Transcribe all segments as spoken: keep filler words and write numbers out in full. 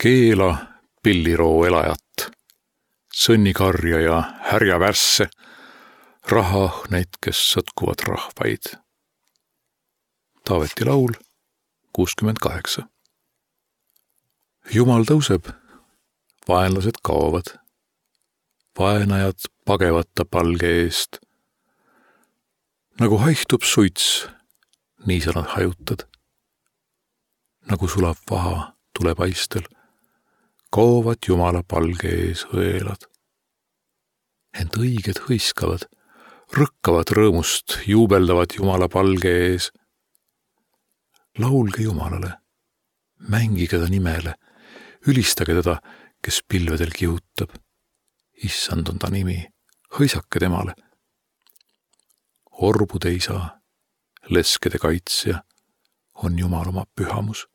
Keela pilliroo elajat, sõnnikarja ja härja värsse, rahahneid, kes sõtkuvad rahvaid. Taaveti laul kuuskümmend kaheksa. Jumal tõuseb, vaenlased kaovad, vaenajad pagevad ta palge eest. Nagu haihtub suits, nii sa nad hajutad. Nagu sulab vaha tulepaistel, kaovad Jumala palge ees õelad. Ent õiged hõiskavad, rõkkavad rõõmust, juubeldavad Jumala palge ees. Laulge Jumalale, mängige ta nimele, ülistage teda, kes pilvedel kihutab. Issand on ta nimi, hõisake temale. Orbude isa, leskede kaitsja, on Jumal oma pühamus.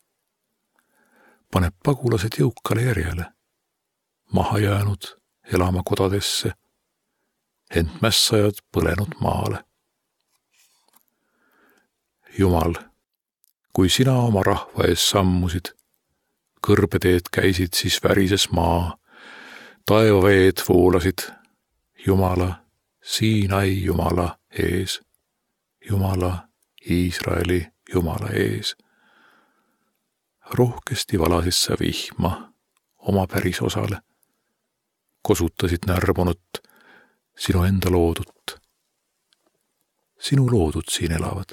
Paneb pagulased jõukale järjele, maha jäänud elama kodadesse, ent mässajad põlenud maale. Jumal, kui sina oma rahva ees sammusid, kõrbeteed käisid, siis värises maa, taevaveed voolasid, Jumala, Siinai Jumala ees, Jumala, Iisraeli Jumala ees. Rohkesti valasid sa vihma oma päris osale, kosutasid närmunut, sinu enda loodut. Sinu loodud siin elavad,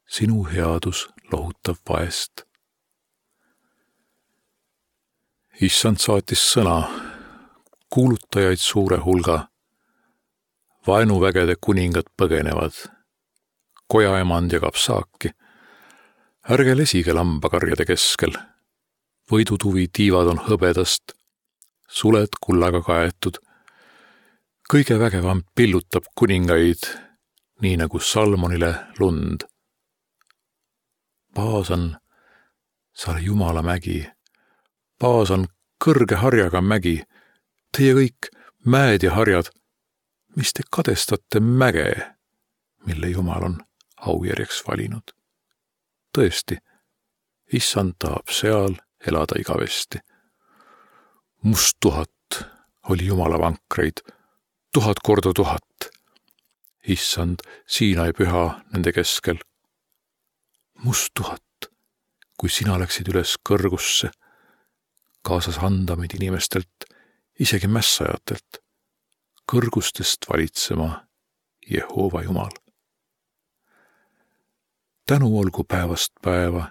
sinu headus lohutab vaest. Issand saatis sõna, kuulutajaid suure hulga, vaenuvägede kuningad põgenevad, kojaemand jagab saaki, ärge lesige lambakarjade keskel, võidutuvi tiivad on hõbedast, suled kullaga kaetud, kõige vägevam pillutab kuningaid, nii nagu Salmonile lund. Paasan, sa ole Jumala mägi, Paasan kõrge harjaga mägi, teie kõik mäed ja harjad, mis te kadestate mäge, mille Jumal on aujärjeks valinud. Tõesti, Issand tahab seal elada igavesti. Must tuhat oli Jumala vankreid, tuhat korda tuhat. Issand, Siinai püha nende keskel. Must tuhat, kui sina läksid üles kõrgusse, kaasas andamid inimestelt, isegi mässajatelt, kõrgustest valitsema Jehova Jumal. Tänu olgu päevast päeva,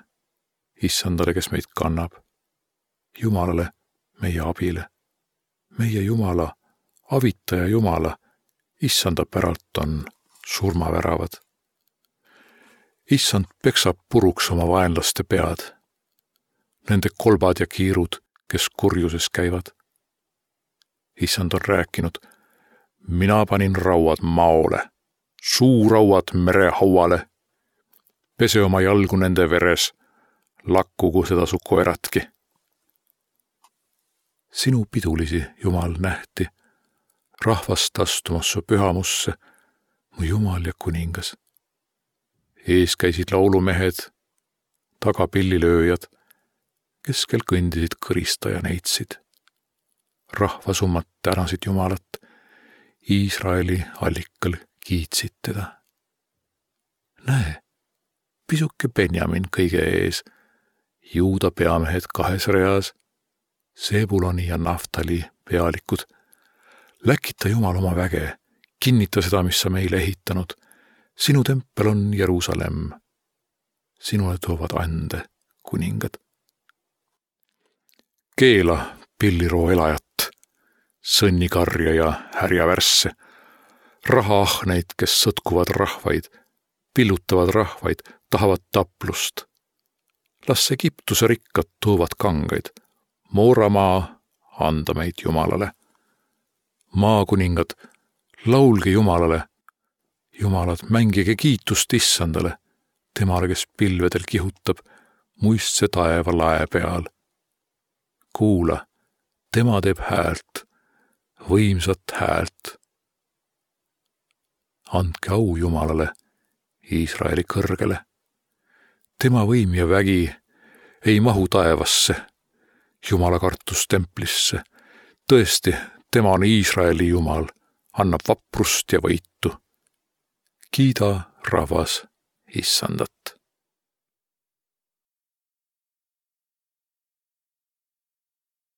Issandale, kes meid kannab, Jumalale, meie abile, meie Jumala, avitaja Jumala, Issanda päralt on surmaväravad. Issand peksab puruks oma vaenlaste pead, nende kolbad ja kiirud, kes kurjuses käivad. Issand on rääkinud, mina panin rauad maole, suurauad merehauale, pese oma jalgu nende veres, lakkugu seda su koeratki. Sinu pidulisi, Jumal, nähti, rahvast astumas su pühamusse, mu Jumal ja kuningas. Ees käisid laulumehed, taga pillilööjad, keskel kõndisid kõrista ja neitsid. Rahvasummad tänasid Jumalat, Iisraeli allikal kiitsid teda. Näe, pisuke Benjamin kõige ees, Juuda peamehed kahes reas, Sebuloni ja Naftali pealikud. Läkita Jumal oma väge, kinnita seda, mis sa meile ehitanud. Sinu tempel on Jerusalem. Sinule toovad ande kuningad. Keela pilliroo elajat, sõnnikarja ja härja värsse, rahahneid, kes sõtkuvad rahvaid, pillutavad rahvaid, tahavad taplust. Las Egiptuse rikkad toovad kangaid, Mooramaa anda meid Jumalale. Maakuningad, laulge Jumalale, Jumalad, mängige kiitust Issandale, temale, kes pilvedel kihutab, muistse taeva lae peal. Kuula, tema teeb häält, võimsat häält. Andke au Jumalale, Iisraeli kõrgele. Tema võim ja vägi ei mahu taevasse, Jumala kartus templisse. Tõesti, tema on Iisraeli Jumal, annab vaprust ja võitu. Kiida, rahvas, Issandat.